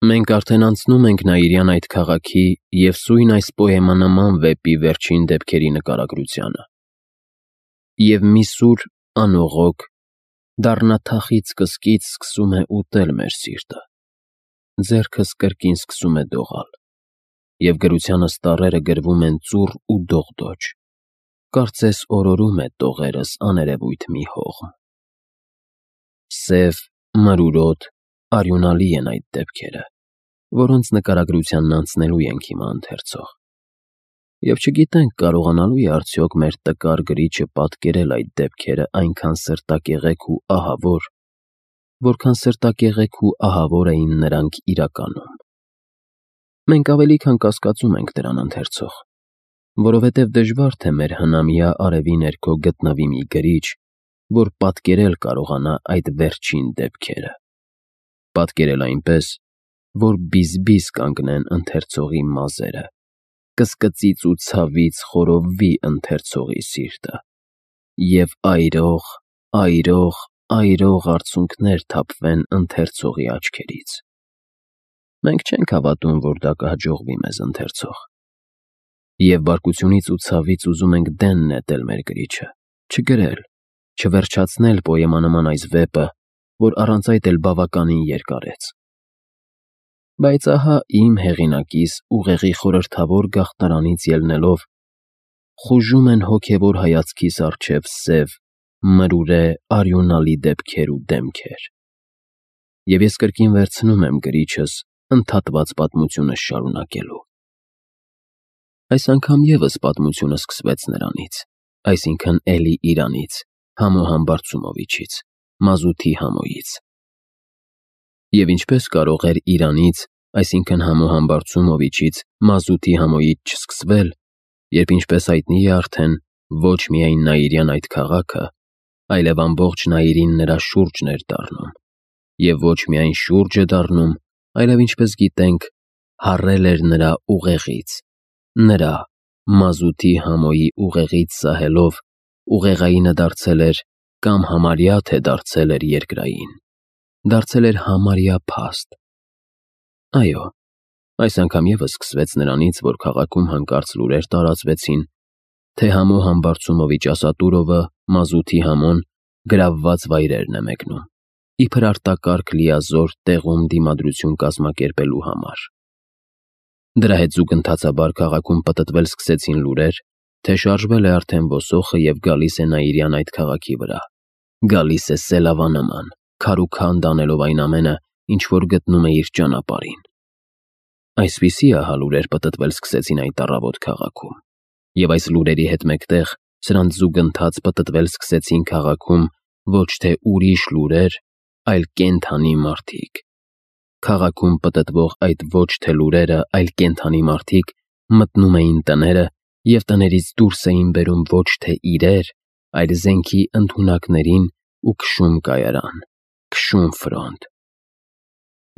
Մենք արդեն անցնում ենք Նաիրյան այդ քաղաքի և սույն այս պոեմանման վեպի վերջին դեպքերի նկարագրությանը։ Եվ մի սուր անողոք դառնաթախիծ կսկիծ սկսում է ուտել մեր սիրտը, ձեռքս կրկին սկսում է դողալ, և գրությանս տառերը գրվում են ծուռ ու դողդոջ, կարծես օրորում է տողերս աներևույթ մի հողմ։ Սև, մրուրոտ, արյունալի են այդ դեպքերը, որոնց նկարագրությանն անցնելու ենք հիմա ընթերցող, և չգիտենք կարողանալու է արդյոք մեր տկար գրիչը պատկերել այդ դեպքերը այնքան սրտակեղեք ու ահավոր, որքան սրտակեղեք ու ահավոր էին նրանք իրականում։ Մենք ավելի քան կասկածում ենք դրան, ընթերցող, որովհետև դժվար թե մեր հնամյա արևի ներքո գտնվի մի գրիչ, որ պատկերել կարողանա այդ վերջին դեպքերը, պատկերել այնպես, որ բիզ-բիզ կանգնեն ընթերցողի մազերը, կսկծից ու ցավից խորովվի ընթերցողի սիրտը, և այրող, այրող, այրող արցունքներ թափվեն ընթերցողի աչքերից։ Մենք չենք հավատում, որ դա կհաջողվի մեզ, ընթերցող, և բարկությունից ու ցավից ուզում ենք դեն նետել մեր գրիչը, չգրել, չվերջացնել պոեմանման այս վեպը, որ առանց այդ էլ բավականին երկարեց։ Բայց ահա իմ հեղինակիս ուղեղի խորհրդավոր գաղտնարանից ելնելով խուժում են հոգևոր հայացքիս առջև սև, մրուրե, արյունալի դեպքեր ու դեմքեր։ Եվ ես կրկին վերցնում եմ գրիչս ընդհատված պատմությունս շարունակելու։ Այս անգամ ևս պատմությունը սկսվեց նրանից, այսինքն էլի իրանից, Համո Համբարձումովիչից, մազութի Համոյից։ Եվ ինչպես կարող էր իրանից, այսինքն Համո Համբարձումովիչից, մազութի Համոյից չսկսվել, երբ ինչպես հայտնի է արդեն, ոչ միայն Նաիրյան այդ քաղաքը, այլև ամբողջ Նաիրին նրա շուրջն էր դառնում, և ոչ միայն շուրջ է դառնում, այլև ինչպես գիտենք, հառել էր նրա ուղեղից, նրա մազութի Համոյի ուղեղից սահելով, ուղեղայինը դարձել էր, կամ համարյա թե դարձել էր երկրային, դարձել էր համարյա փաստ։ Այո, այս անգամ ևս սկսվեց նրանից, որ քաղաքում հանկարծ լուրեր տարածվեցին, թե Համո Համբարձումովիչ Ասատուրովը, մազութի Համոն, գրավված վայրերն է մեկնում, իբր արտակարգ լիազոր տեղում դիմադրություն կազմակերպելու համար։ Դրա հետ զուգընթացաբար քաղաքում պտտվել սկսեցին լուրեր, թե շարժվել է արդեն ոսոխը և գալիս է Նաիրյան այդ քաղաքի վրա, գալիս է սելավանման, քարուքանդ անելով այն ամենը, ինչ որ գտնում է իր ճանապարհին։ Այսպիսի ահա լուրեր պտտվել սկսեցին այդ առավոտ քաղաքում, և այս լուրերի հետ մեկտեղ սրանց զուգընթաց պտտվել սկսեցին քաղաքում ոչ թե ուրիշ լուրեր, այլ կենդանի մարդիկ։ Քաղաքում պտտվող այդ ոչ թե լուրերը, այլ կենդանի մարդիկ մտնում էին տները և տներից դուրս էին բերում ոչ թե իրեր, այլ զենքի ընդունակներին ու քշում կայարան, քշում ֆրոնտ։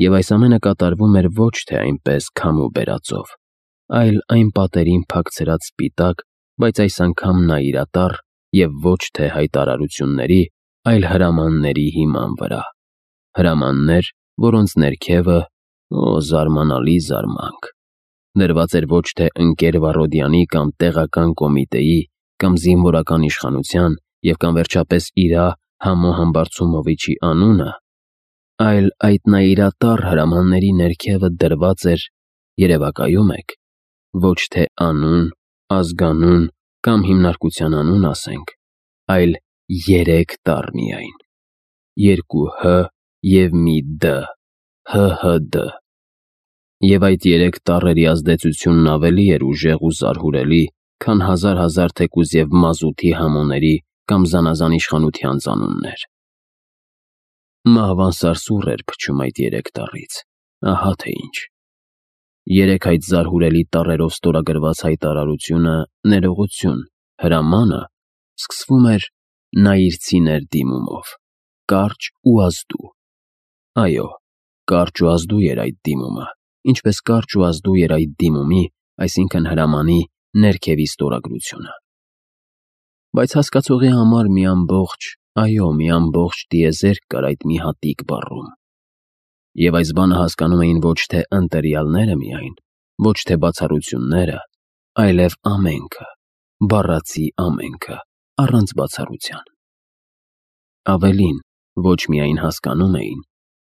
Եվ այս ամենը կատարվում էր ոչ թե այնպես քամու բերածով, այլ այն պատերին փակցրած սպիտակ, բայց այս անգամ նայիրատառ և ոչ թե հայտարարությունների, այլ հրամանների հիման վրա, հրամաններ, որոնց ներքևը, զարմանալի զարմանք, դրված էր ոչ թե ընկեր Վառոդյանի կամ տեղական կոմիտեի կամ զինվորական իշխանության և կամ վերջապես իրա Համո Համբարձումովիչի անունը, այլ այդ նայիրատառ հրամանների ներքևը դրված էր, երևակայում եք, ոչ թե անուն, ազգանուն կամ հիմնարկության անուն ասենք, այլ 3 տառ միայն, 2 հ և մի դ, ՀՀԴ։ Եվ այդ 3 տառերի ազդեցությունն ավելի էր ուժեղ ու զարհուրելի, քան հազար թեկուզ և մազութի Համոների կամ զանազան իշխանության ծանուններ։ Մահվան սարսուռ էր փչում այդ 3 տառից, ահա թե ինչ։ 3 այդ զարհուրելի տառերով ստորագրված հայտարարությունը, ներողություն, հրամանը սկսվում էր նայիրցիներ դիմումով, կարճ ու ազդու։ Այո, կարճ ու ազդու էր այդ դիմումը, ինչպես կարճ ու ազդու էր այդ դիմումի, այսինքն հրամանի ներքևի ստորագրությունը։ Բայց հասկացողի համար մի ամբողջ, այո, մի ամբողջ տիեզերք կար այդ մի հատիկ բառում։ Եվ այս բանը հասկանում էին ոչ թե ընտելյալները միայն, ոչ թե բացառությունները, այլև ամենքը, բառացի ամենքը, առանց բացառության։ Ավելին, ոչ միայն հասկանում էին,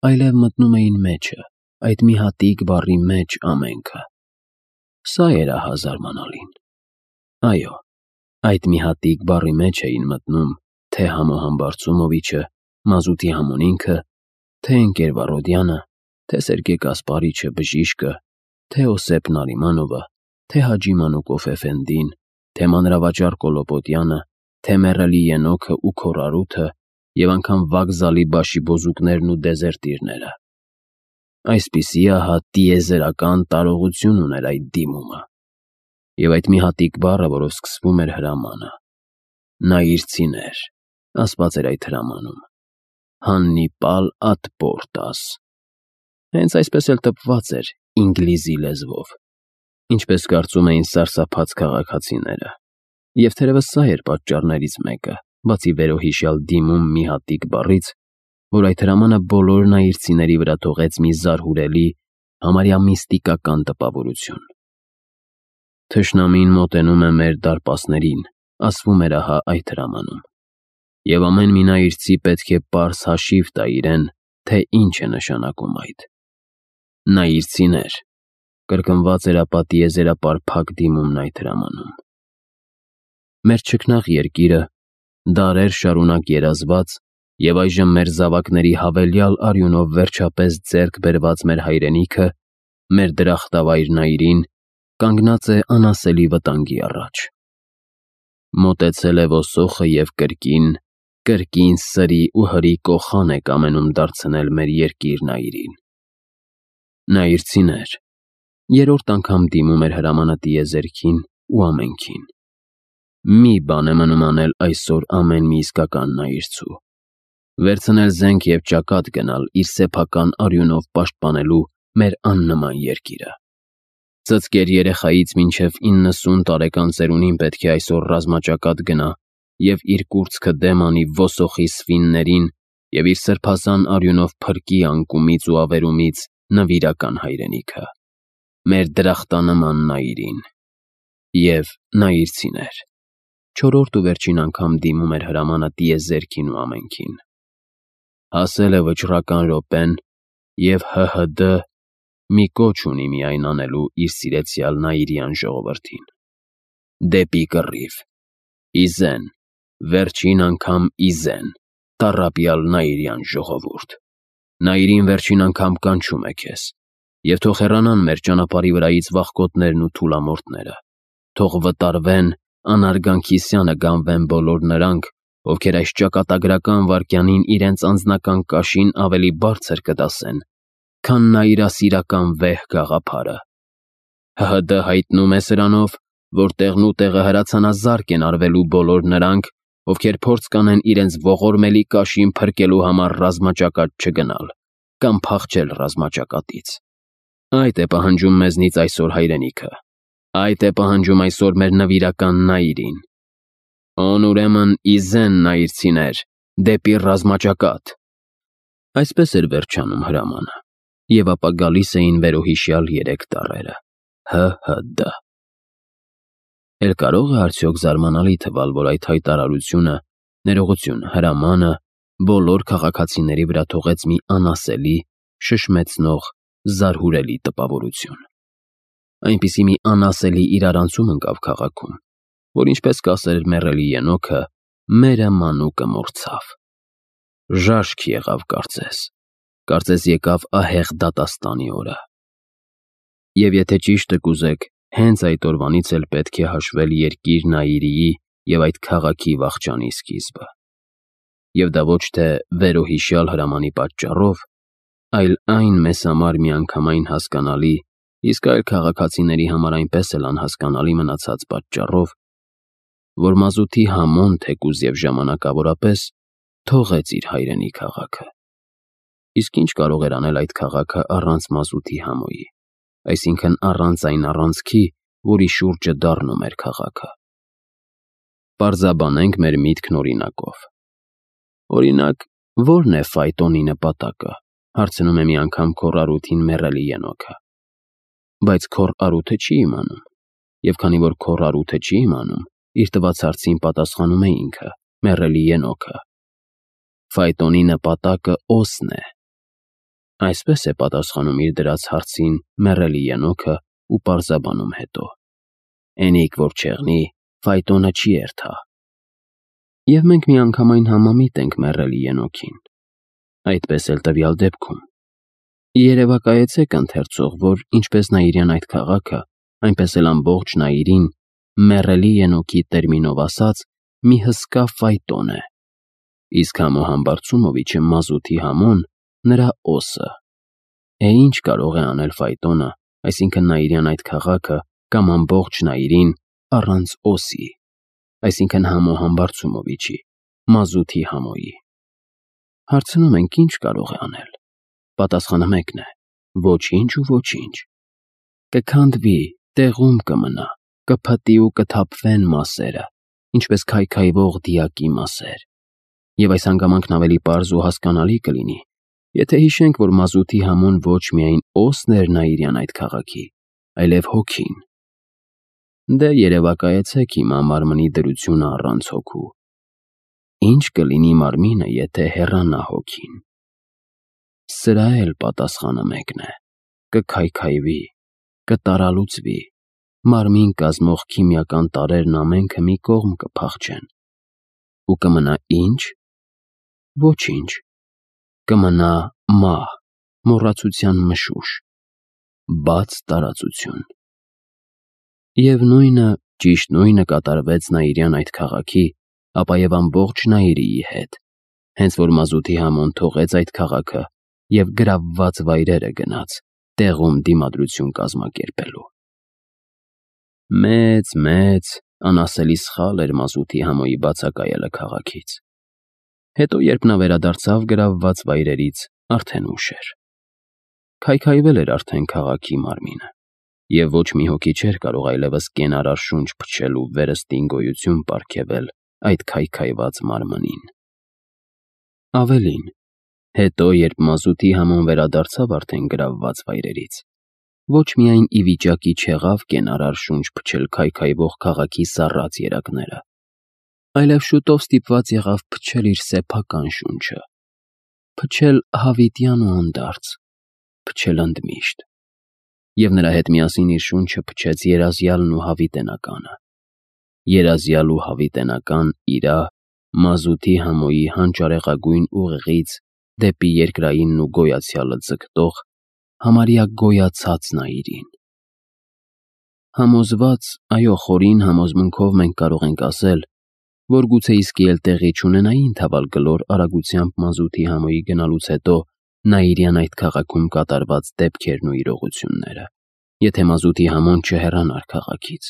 այլև մտնում էին մեջը, այդ մի հատիկ բառի մեջ ամենքը։ Սա էր զարմանալին։ Այո, այդ մի հատիկ բառի մեջ էին մտնում թե Համոհամ Բարցումովիչը, Մազութի Համոնինքը, թե ընկեր Վարոդյանը, թե Սերգեյ Կասպարիչը բժիշկը, թե Օսեփ Նարիմանովը, թե Հաջի Մանուկով Էֆենդին, թե մանրավաճառ Կոլոպոտյանը, թե մեռելի Ենոքը ու Քորարութը և անգամ վокзալի բաշիբոզուկներն ու դեզերտիրները։ Այսպիսի տիեզերական տարողություն ուներ այդ դիմումը։ Եվ այդ մի հատիկ բառը, որով սկսվում էր հրամանը։ Նայիրցիներ, ասված էր այդ հրամանում։ Հաննիպալ ad portas։ Հենց այսպես էլ տպված էր ինգլիզի լեզվով, ինչպես կարծում էին սարսափած քաղաքացիները։ Եվ թերևս սա էր պատճառներից մեկը, բացի վերոհիշյալ դիմում մի հատիկ բառից, որ այդ հրամանը բոլոր նայիրցիների վրա թողեց մի զարհուրելի, համարյա միստիկական տպավորություն։ Թշնամին մոտենում է մեր դարպասներին, ասվում էր այդ հրամանում։ Եվ ամեն մի նայիրցի պետք է պարզ հաշիվ տա իրեն, թե ինչ է նշանակում այդ։ Նայիրցիներ, կրկնված էր տիեզերապարփակ դիմումն այդ հրամանում։ Մեր չքնաղ երկիրը, դարեր շարունակ երազված և այժմ մեր զավակների հավելյալ արյունով վերջապես ձեռք բերված մեր հայրենիքը, մեր դրախտավայր Նայիրին, կանգնած է անասելի վտանգի առաջ։ Մոտեցել է ոսոխը և կրկին սրի ու հրի կոխան է կամենում դարձնել մեր երկիր Նայիրին։ Նայիրցիներ, երրորդ անգամ դիմում էր հրամանը տիեզերքին ու ամենքին։ Մի բան է մնում անել այսօր ամեն մի իսկական նայիրցու։ Վերցնել զենք և ճակատ գնալ իր սեփական արյունով պաշտպանելու մեր աննման երկիրը։ Ծծկեր երեխայից մինչև 90 տարեկան ծերունին պետք է այսօր ռազմաճակատ գնա և իր կուրծքը դեմ անի ոսոխի սվիններին և իր սրբազան արյունով փրկի անկումից ու ավերումից նվիրական հայրենիքը, մեր դրախտանման Նայիրին։ Եվ նայիրցիներ, չորրորդ ու վերջին անգամ դիմում էր հրամանը տիեզերքին ու ամենքին։ Հասել է վճռական րոպեն, և ՀՀԴ մի կոչ ունի միայն անելու իր սիրեցյալ Նայիրյան ժողովրդին։ Դեպի կռիվ, ի զեն, վերջին անգամ ի զեն, տառապյալ Նայիրյան ժողովուրդ։ Նայիրին վերջին անգամ կանչում է քեզ, և թող հեռանան մեր ճանապարհի վրայից վախկոտներն ու թուլամորթները, թող վտարվեն, անարգանքիսյանը գանվեն բոլոր նրանք, ովքեր այս ճակատագրական վայրկյանին իրենց անձնական կաշին ավելի բարձր կտասեն, քան նայիրասիրական վեհ գաղափարը։ ՀՀԴ հայտնում է սրանով, որ տեղնուտեղը հրացանազարկ են արվելու բոլոր նրանք, ովքեր փորձ կանեն իրենց ողորմելի կաշին փրկելու համար ռազմաճակատ չգնալ կամ փախչել ռազմաճակատից։ Այդ է պահանջում մեզնից այսօր հայրենիքը, այդ է պահանջում այսօր մեր նվիրական Նայիրին։ Ուրեմն ի զեն նայիրցիներ, դեպի ռազմաճակատ։ Այսպես էր վերջանում հրամանը, և ապա գալիս էին վերոհիշյալ 3 տառերը՝ ՀՀԴ։ Էլ կարող է արդյոք զարմանալի թվալ, որ այդ հայտարարությունը, ներողություն, հրամանը բոլոր քաղաքացիների վրա թողեց մի անասելի, շշմեցնող, զարհուրելի տպավորություն։ Այնպիսի մի անասելի իրարանցում ընկավ քաղաքում, որ ինչպես կասեր մեռելի Ենոքը, մերը մանուկը մոռցավ։ Ժաշք եղավ կարծես եկավ ահեղ դատաստանի օրը։ Եվ եթե ճիշտը կուզեք, հենց այդ օրվանից էլ պետք է հաշվել երկիր Նայիրիի և այդ քաղաքի վախճանի սկիզբը։ Եվ դա ոչ թե վերոհիշյալ հրամանի պատճառով, այլ այն մեզ համար միանգամայն հասկանալի, իսկ այլ քաղաքացիների համար այնպես էլ անհասկանալի մնացած պատճառով, որ Մազութի Համոն թեկուզ և ժամանակավորապես թողեց իր հայրենի քաղաքը։ Իսկ ինչ կարող էր անել այդ քաղաքը առանց Մազութի Համոյի, այսինքն առանց այն առանցքի, որի շուրջը դառնում էր քաղաքը։ Պարզաբանենք մեր միտքն օրինակով։ Օրինակ, ո՞րն է ֆայտոնի նպատակը, Հարցնում է մի անգամ քոռ Արութին մեռելի ենոքը։ Բայց քոռ Արութը չի իմանում, եւ քանի որ քոռ Արութը չի իմանում, իր տված հարցին պատասխանում է ինքը, մեռելի ենոքը։ Ֆայտոնի նպատակը օսն է։ Այսպես է պատասխանում իր դրած հարցին մեռելի ենոքը ու պարզաբանում հետո. «Էնիկ որ չեղնի, Ֆայտոնը չի երթա»։ Եվ մենք միանգամայն համամիտ ենք մեռելի ենոքին։ Այդպես էլ տվյալ դեպքում։ Երևակայեցեք ընթերցող, որ ինչպես Նաիրյան այդ քաղաքը, այնպես էլ ամբողջ Նաիրին մեռելի ենոքի տերմինով ասած մի հսկա Ֆայտոն է, իսկ Համո Համբարձումովիչը Մազութի Համոն նրա օսը։ Ինչ կարող է անել Ֆայտոնը, այսինքն Նաիրյան այդ քաղաքը կամ ամբողջ Նաիրին առանց օսի, այսինքն Համո Համբարձումովիչի, Մազութի Համոյի։ Հարցնում ենք, ինչ կարող է անել։ Պատասխանը մեկն է. ոչինչ ու ոչինչ։ Կքանդվի, տեղում կմնա, կփտի ու կթափվեն մասերը, ինչպես քայքայվող դիակի մասեր։ Եվ այս հանգամանքն ավելի պարզ ու հասկանալի կլինի, եթե հիշենք, որ Մազութի Համոն ոչ միայն օսն էր Նաիրյան այդ քաղաքի, այլև հոգին։ Դե երևակայեցեք հիմա մարմնի դրությունը առանց հոգու։ Ինչ կլինի մարմինը, եթե հեռանա հոգին։ Սրա էլ պատասխանը մեկն է. կքայքայվի, կտարալուծվի, մարմին կազմող քիմիական տարրերն ամենքը մի կողմ կփախչեն։ Ու կմնա ինչ։ Ոչինչ։ Կմնա մահ, մոռացության մշուշ, բաց տարածություն։ Եվ նույնը, ճիշտ նույնը կատարվեց Նաիրյան այդ քաղաքի, ապա եւ ամբողջ Նաիրիի հետ, հենց որ Մազութի Համոն թողեց այդ քաղաքը եւ գրավված վայրերը գնաց, տեղում դիմադրություն կազմակերպելու։ Մեծ անասելի սխալ էր Մազութի Համոյի բացակայելը քաղաքից։ Հետո, երբ նա վերադարձավ գրավված վայրերից, արդեն ուշ էր։ Քայքայվել էր արդեն քաղաքի մարմինը, եւ ոչ մի հոգի չէր կարող այլևս կենարար շունչ փչել ու վերստին գոյություն պարգևել այդ քայքայված մարմնին։ Ավելին, հետո, երբ Մազութի Համոն վերադարձավ արդեն գրավված վայրերից, ոչ միայն ի վիճակի չեղավ կենարար շունչ փչել քայքայվող քաղաքի սառած երակները, այլև շուտով ստիպված եղավ փչել իր սեփական շունչը, փչել հավիտյան ու հանդարտ, փչել ընդմիշտ։ Եվ նրա հետ միասին իր շունչը փչեց երազյալն ու հավիտենականը։ Երազյալ ու հավիտենական իրա Մազութի Համոյի հանճարեղագույն ուղեղից դեպի երկրայինն ու գոյացյալը ձգտող համարյա գոյացած Նաիրին։ Համոզված, այո, խորին համոզմունքով մենք կարող ենք ասել, որ գուցե իսկի էլ տեղի չունենային թավալգլոր արագությամբ Մազութի Համոյի գնալուց հետո Նաիրյան այդ քաղաքում կատարված դեպքերն ու իրողությունները, եթե Մազութի Համոն չհեռանար քաղաքից։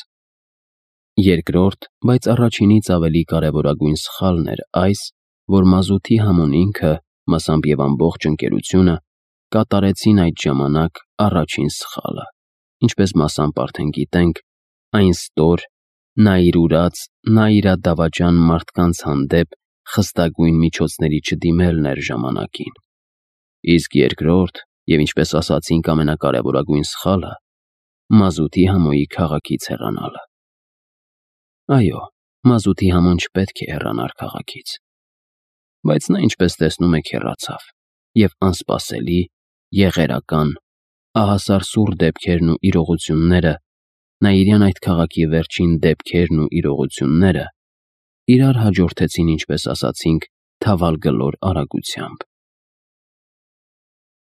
Երկրորդ, բայց առաջինից ավելի կարևորագույն սխալն էր այս, որ Մազութի Համոն ինքը, մասամբ եւ ամբողջ ընկերությունը, կատարեցին այդ ժամանակ առաջին սխալը, ինչպես մասամբ արդեն գիտենք, այն ստոր, նայրուրած, նայրադավաճան մարդկանց հանդեպ խստագույն միջոցների չդիմելն էր ժամանակին։ Իսկ երկրորդ, եւ ինչպես ասացինք ամենակարևորագույն սխալը, Մազութի Համոյի քաղաքից հեռանալը։ Այո, Մազութի Համոն չպետք է հեռանար քաղաքից։ Բայց նա, ինչպես տեսնում եք, հեռացավ, եւ անսպասելի, եղերական, ահասարսուռ դեպքերն ու իրողությունները, Նաիրյան այդ քաղաքի վերջին դեպքերն ու իրողությունները իրար հաջորդեցին, ինչպես ասացինք, թավալգլոր արագությամբ։